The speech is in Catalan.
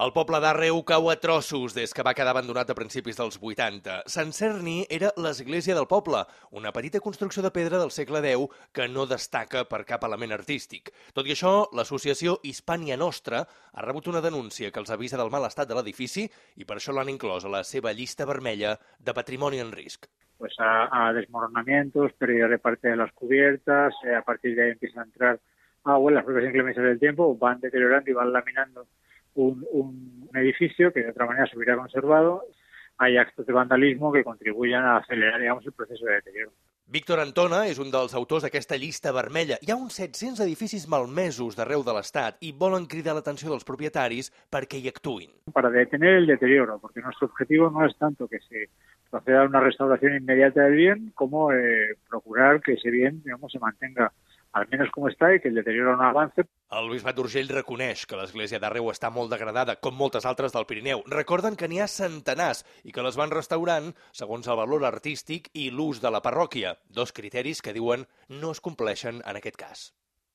El poble d'Àrreu cau a trossos des que va quedar abandonat a principis dels 80. Sant Cerni era l'església del poble, una petita construcció de pedra del segle X que no destaca per cap element artístic. Tot i això, l'associació Hispània Nostra ha rebut una denúncia que els avisa del mal estat de l'edifici i per això l'han inclòs a la seva llista vermella de patrimoni en risc. Pues a desmoronamientos, pérdida de parte de las cubiertas, a partir de ahí empieza a entrar agua, las propias inclemencias del tiempo van deteriorando y van laminando un edificio que de otra manera se hubiera conservado. Hay actos de vandalismo que contribuyen a acelerar, digamos, el proceso de deterioro. Víctor Antona és un dels autors d'aquesta llista vermella. Hi ha uns 700 edificis malmesos d'arreu de l'Estat i volen cridar l'atenció dels propietaris perquè hi actuïn. Para detener el deterioro, porque nuestro objetivo no es tanto que se proceda a una restauración inmediata del bien, como procurar que ese bien, digamos, se mantenga al menos como está y que el deterioro no avance. El Bisbat d'Urgell reconeix que l'església d'Àrreu està molt degradada, com moltes altres del Pirineu. Recorden que n'hi ha centenars i que les van restaurant segons el valor artístic i l'ús de la parròquia, dos criteris que diuen no es compleixen en aquest cas.